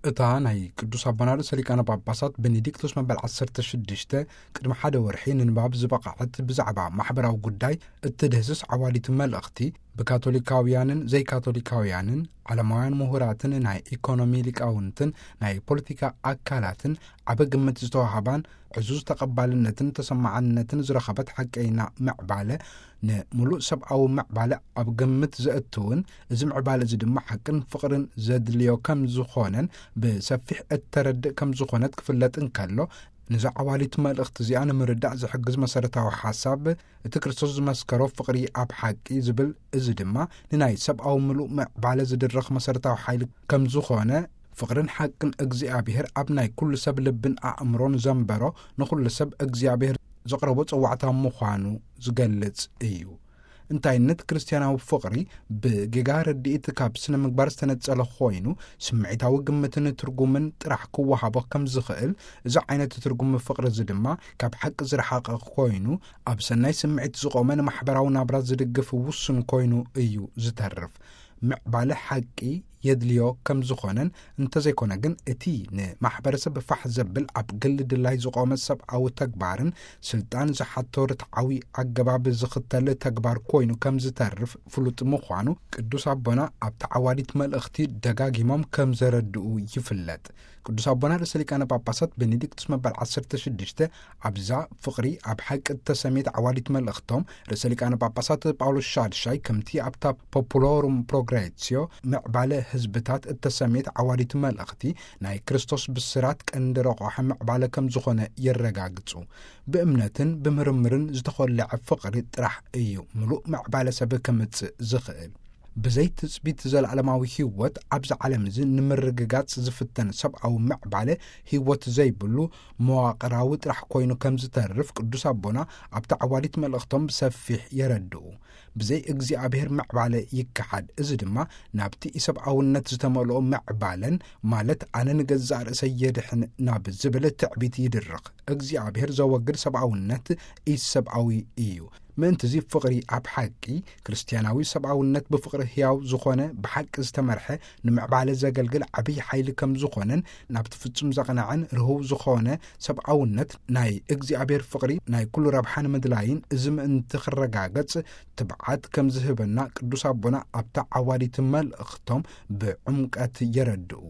እታ ናይ ቅዱስ ኣቦና ርእሰ ሊቃነ ጳጳሳት ቤኔዲክቶስ መበል ዓሰርተ ሽዱሽተ ቅድሚ ሓደ ወርሒ ንንባብ ዝበቕዐት ብዛዕባ ማሕበራዊ ጉዳይ እትድህስስ ዓዋዲት መልእኽቲ፣ ብካቶሊካውያንን ዘይካቶሊካውያንን ዓለማውያን ምሁራትን ናይ ኢኮኖሚ ሊቃውንትን ናይ ፖለቲካ ኣካላትን ዓቢ ግምት ዝተዋህባን ዕዙዝ ተቐባልነትን ተሰማዕነትን ዝረኸበት ሓቀይና ምዕባለ፣ ንምሉእ ሰብኣዊ ምዕባለ ኣብ ግምት ዘእትውን፣ እዚ ምዕባለ እዚ ድማ ሓቅን ፍቕርን ዘድልዮ ከም ዝኾነን ብሰፊሕ እተረድእ ከም ዝኾነት ክፍለጥ እንከሎ፣ ነዛ ዓዋዲት መልእኽቲ እዚኣ ንምርዳእ ዝሕግዝ መሰረታዊ ሓሳብ፣ እቲ ክርስቶስ ዝመስከሮ ፍቕሪ ኣብ ሓቂ ዝብል፣ እዚ ድማ ንናይ ሰብኣዊ ምሉእ ምዕባለ ዝድርኽ መሰረታዊ ሓይሊ ከም ዝኾነ፣ ፍቕርን ሓቅን እግዚኣብሔር ኣብ ናይ ኩሉ ሰብ ልብን ኣእምሮን ዘንበሮ፣ ንኹሉ ሰብ እግዚኣብሔር ዘቕረቦ ጸዋዕታ ምዃኑ ዝገልጽ እዩ። እንታይነት ክርስትያናዊ ፍቕሪ ብጌጋ ርድኢት ካብ ስነ ምግባር ዝተነጸለ ኮይኑ፣ ስምዒታዊ ግምትን ትርጉምን ጥራሕ ክወሃቦ ከም ዝኽእል፣ እዚ ዓይነት ትርጉም ፍቕሪ እዚ ድማ ካብ ሓቂ ዝረሓቐ ኮይኑ፣ ኣብ ሰናይ ስምዒት ዝቖመ ንማሕበራዊ ናብራ ዝድግፍ ውሱን ኮይኑ እዩ ዝተርፍ። ምዕባለ ሓቂ የድልዮ ከም ዝኾነን፣ እንተዘይኮነ ግን እቲ ንማሕበረሰብ ፋሕ ዘብል ኣብ ግል ድላይ ዝቖመ ሰብኣዊ ተግባርን ስልጣን ዝሓቶ ርትዓዊ ኣገባብ ዝኽተል ተግባር ኮይኑ ከም ዝተርፍ ፍሉጥ ምዃኑ ቅዱስ ኣቦና ኣብቲ ዓዋዲት መልእኽቲ ደጋጊሞም ከም ዘረድኡ ይፍለጥ። ቅዱስ ኣቦና ርእሰ ሊቃነ ጳጳሳት ቤኔዲክቱስ መበል ዓሰርተ ሽዱሽተ ኣብዛ ፍቕሪ ኣብ ሓቂ እተሰምየት ዓዋዲት መልእኽቶም፣ ርእሰ ሊቃነ ጳጳሳት ጳውሎስ ሻድሻይ ከምቲ ኣብታ ፖፑሎሩም ፕሮግሬሲዮ ምዕባለ ህዝብታት እተሰምየት ዓዋዲት መልእኽቲ፣ ናይ ክርስቶስ ብስራት ቀንዲ ረቋሒ ምዕባለ ከም ዝኾነ የረጋግጹ። ብእምነትን ብምርምርን ዝተኾልዐ ፍቕሪ ጥራሕ እዩ ምሉእ ምዕባለ ሰብ ከምጽእ ዝኽእል። ብዘይ ትጽቢት ዘለዓለማዊ ህይወት ኣብዚ ዓለም እዚ ንምርግጋጽ ዝፍተን ሰብኣዊ ምዕባለ፣ ህይወት ዘይብሉ መዋቕራዊ ጥራሕ ኮይኑ ከም ዝተርፍ ቅዱስ ኣቦና ኣብቲ ዓዋዲት መልእኽቶም ብሰፊሕ የረድኡ። ብዘይ እግዚኣብሔር ምዕባለ ይከሓድ። እዚ ድማ ናብቲ ኢሰብኣውነት ዝተመልኦ ምዕባለን፣ ማለት ኣነ ንገዛእ ርእሰይ የድሕን ናብ ዝብል ትዕቢት ይድርኽ። እግዚኣብሔር ዘወግድ ሰብኣውነት ኢሰብኣዊ እዩ። ምእንትዚ ፍቕሪ ኣብ ሓቂ፣ ክርስትያናዊ ሰብኣውነት ብፍቕሪ ህያው ዝኾነ፣ ብሓቂ ዝተመርሐ፣ ንምዕባለ ዘገልግል ዓብዪ ሓይሊ ከም ዝኾነን፣ ናብቲ ፍጹም ዘቕንዐን ርህው ዝኾነ ሰብኣውነት ናይ እግዚኣብሔር ፍቕሪ ናይ ኩሉ ረብሓ ንምድላይን፣ እዚ ምእንቲ ክረጋገጽ ትብዓት ከም ዝህበና ቅዱስ ኣቦና ኣብታ ዓዋዲት መልእኽቶም ብዕምቀት የረድኡ።